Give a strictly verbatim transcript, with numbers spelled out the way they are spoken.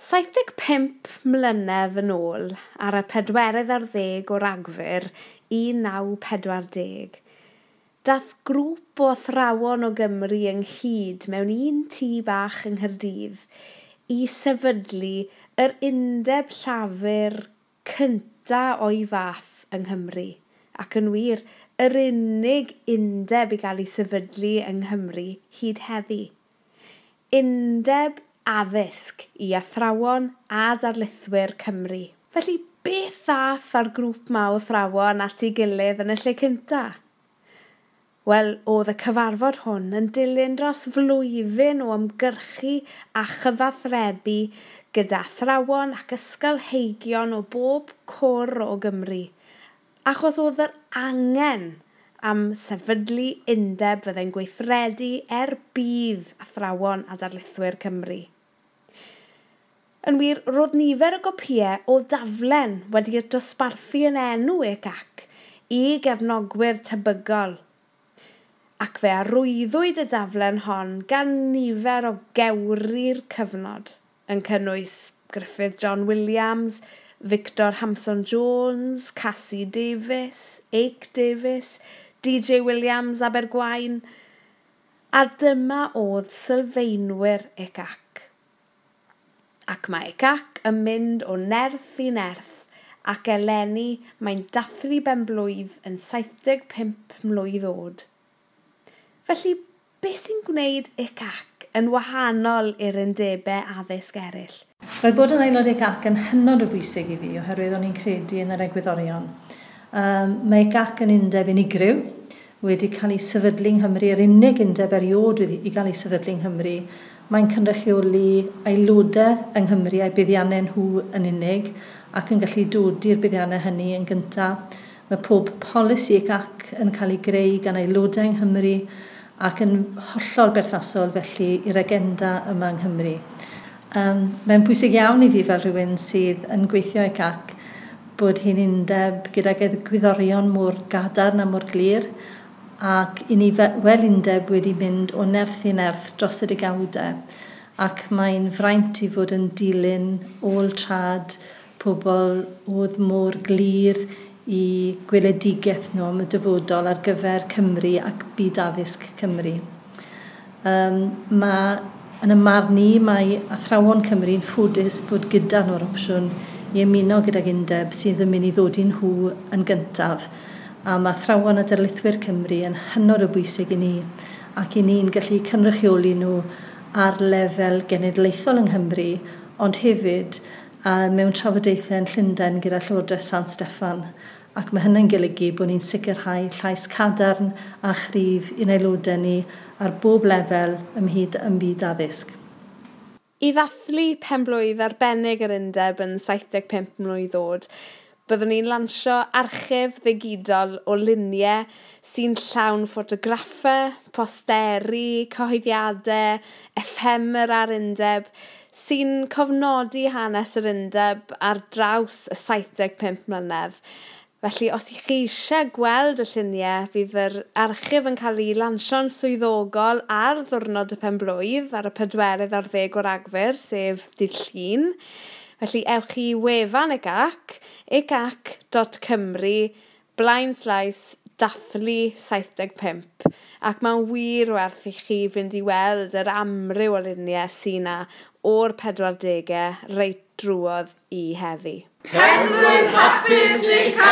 Saith deg pump mlynedd yn ôl, ar y pedwerydd ar ddeg o Ragfyr un naw pedwar deg, dath grŵp o athrawon o Gymru ynghyd mewn un tŷ bach yng Nghaerdydd i sefydlu yr Undeb Llafur cynta o'i fath yng Nghymru, ac yn wir, yr unig undeb i gael ei sefydlu yng Nghymru hyd heddi. Undeb addysg i athrawon a darlithwyr Cymru. Felly, beth ddath â'r grŵp 'ma o athrawon at ei gilydd yn y lle cynta? Wel, oedd y cyfarfod hwn yn dilyn dros flwyddyn o ymgyrchu a chyfathrebu gyda athrawon ac ysgolheigion o bob cwr o Gymru, achos oedd yr angen am sefydlu undeb fyddai'n gweithredu er budd athrawon a darlithwyr Cymru. Yn wir, roedd nifer o gopïau o daflen wedi'u dosbarthu yn enw U C A C i gefnogwyr tebygol, ac fe arwyddwyd y daflen hon gan nifer o gewri'r cyfnod, yn cynnwys Griffith John Williams, Victor Hampson Jones, Cassie Davies, Ake Davies, D J Williams Abergwaun, a dyma oedd sylfaenwyr U C A C. Ac mae U C A C yn mynd o nerth i nerth, ac eleni mae'n dathlu benblwydd yn saith deg pump mlwydd oed. Felly, beth sy'n gwneud U C A C yn wahanol i'r undebau addysg eraill? Roedd bod yn aelod U C A C yn hynod o bwysig i fi oherwydd o'n i'n credu yn yr egwyddorion. Um, mae U C A C yn undeb unigryw, wedi cael ei sefydlu yng Nghymru, yr unig undeb erioed wedi i gael ei sefydlu yng Nghymru. Mae'n cynrychioli aelodau yng Nghymru a'i buddiannau nhw yn unig ac yn gallu dodi'r buddiannau hynny yn gyntaf. Mae pob polisi U C A C yn cael ei greu gan aelodau yng Nghymru ac yn hollol berthnasol felly i'r agenda yma yng Nghymru. Um, mae'n bwysig iawn i fi fel rhywun sydd yn gweithio i U C A C bod hi'n undeb gydag egwyddorion mor gadarn a mor glir ac i ni fel undeb wedi mynd o nerth i nerth dros y degawdau, ac mae'n fraint i fod yn dilyn ôl trad pobl oedd mor glir i gweledigaeth nhw am y dyfodol ar gyfer Cymru ac byd addysg Cymru. Um, mae, yn y marn i, mae athrawon Cymru'n ffodus bod gyda nhw'r opsiwn i ymuno gydag undeb sydd yn mynd i ddod i nhw yn gyntaf. A mae athrawon a darlithwyr Cymru yn hynod o bwysig i ni ac i ni'n gallu cynrychioli nhw ar lefel genedlaethol yng Nghymru, ond hefyd a mewn trafodaethau yn Llundain gyda Llywodraeth San Steffan. Ac mae hynny'n golygu bod ni'n sicrhau llais cadarn a chryf i'n aelodau ni ar bob lefel ymhyd ym byd addysg. I ddathlu penblwydd arbennig yr undeb yn saith deg pump mlwydd oed, byddwn ni'n lansio archif ddigidol o luniau sy'n llawn ffotograffau, posteri, cyhoeddiadau, ephemera'r undeb, sy'n cofnodi hanes yr undeb ar draws y saith deg pump mlynedd. Felly, os ych chi eisiau gweld y lluniau, fydd yr archif yn cael ei lansio'n swyddogol ar ddiwrnod y penblwydd ar y pedwerydd ar ddeg o Ragfyr, sef dydd Llun. Felly, ewch i wefan U C A C, ucac dot cymru, blaen slaes dathlu saith deg pump. Ac mae'n wir werth i chi fynd i weld yr amryw o luniau sy'n 'na o'r pedwardegau reit drwodd i heddi. Penblwydd hapus U C A C!